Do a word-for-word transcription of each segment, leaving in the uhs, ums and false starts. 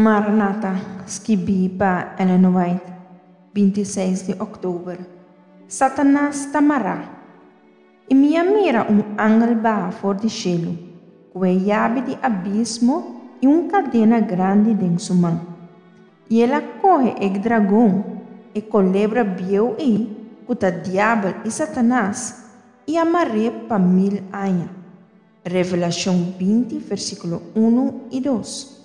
Maranata, skibí pa Ellen White, binti seis di òktober. Satanas ta mará. I mi a mira un angel baha for di shelu, ku e yabi di abismo i un kadena grandi den su man. I el a kohe e dragon, e kolebra bieu ei, ku ta Diabel i Satanas, i a mar'é pa mil aña. Revelashon binti, versíkulo unu i dos.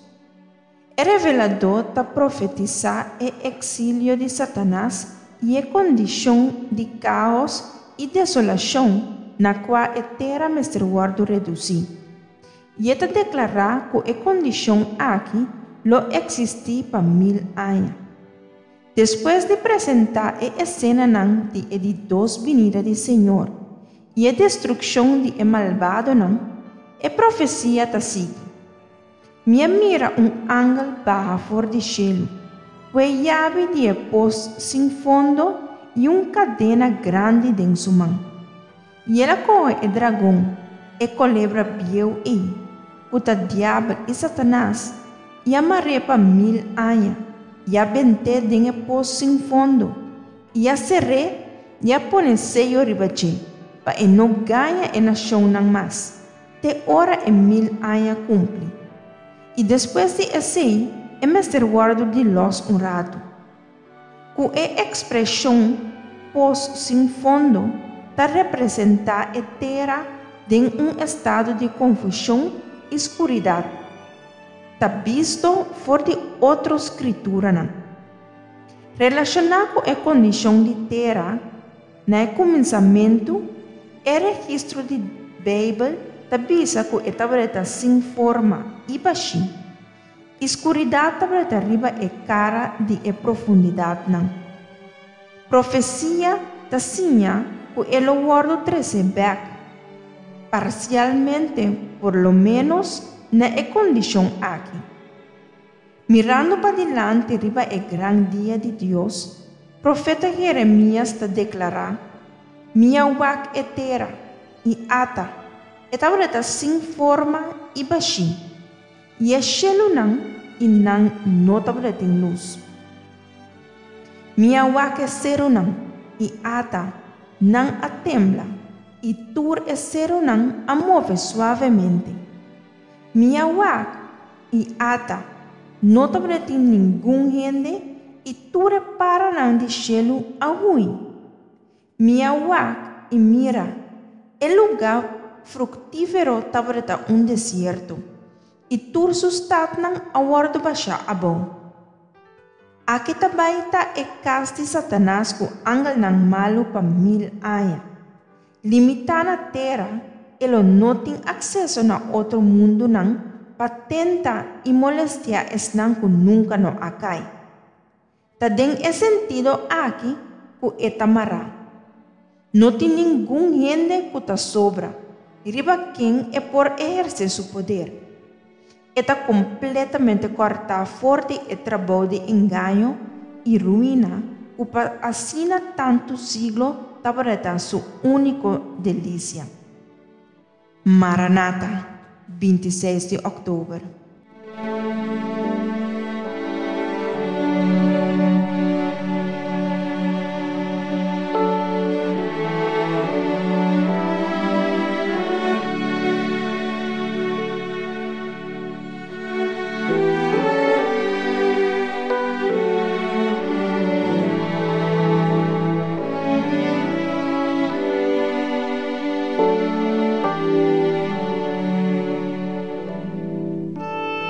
E reveladó ta profetisá e eksilio di Satanas i e kondishon di káos i desolashon na kua e tera mester wòrdu redusí. I e ta deklará ku e kondishon aki lo eksistí pa mil aña. Despues di presentá e esenanan di e di dos binida di Señor i e destrukshon di e malbadonan, e profesia ta sigui. Mi a mira un angel baha for di shelu, ku e yabi di e pos sin fondo i un kadena grandi den su man. I el a kohe e dragon, e kolebra bieu ei, ku ta Diabel i Satanas, i a mar'é pa mil aña, i a bent'é den e pos sin fondo, i a ser'é i a pone seyo riba dje, pa e no gaña e nashonnan mas, te ora e mil aña kumpli. I despues di esei e mester wòrdu di lòs un ratu. Ku e ekspreshon pos sin fondo ta representá e tera den un estado di konfushon i skuridat, ta bisto for di otro skrituranan. Relashoná ku e kondishon di tera na e kuminsamentu, e registro di Beibel ta bisa ku e tabata sin forma i bashí, i skuridat tabata riba e kara di e profundidatnan. Profesia ta siña ku e lo wòrdu trese bèk, parsialmente por lo ménos, na e kondishon aki. Mirando padilanti riba e gran dia di Dios, profeta Jeremias ta deklará: Mi a wak e tera, i ata, e tabata sin forma i bashí, i e shelunan, i nan no tabatin lus. Mi a wak e serunan, i ata, nan a tembla, i tur e serunan a move suavemente. Mi a wak, i ata, no tabatin ningun hende, i tur e paranan di shelu a hui. Mi a wak i mira, e lugá fruktífero tabata un desierto, i tur su statnan a wòrdu bashá abou. Aki ta bai ta e kas di Satanas ku angelnan malu pa mil aña. Limitá na tera, e lo no tin akseso na otro mundunan pa tenta i molestiá esnan ku nunka no a kai. Ta den e sentido aki ku e ta mará. No tin ningun hende ku ta sobra, riba ken e por ehersé su poder. E ta kompletamente kòrtá for di e trabou di engaño i ruina ku pa asina tantu siglo tabata su úniko delisia. Maranata, binti seis di òktober.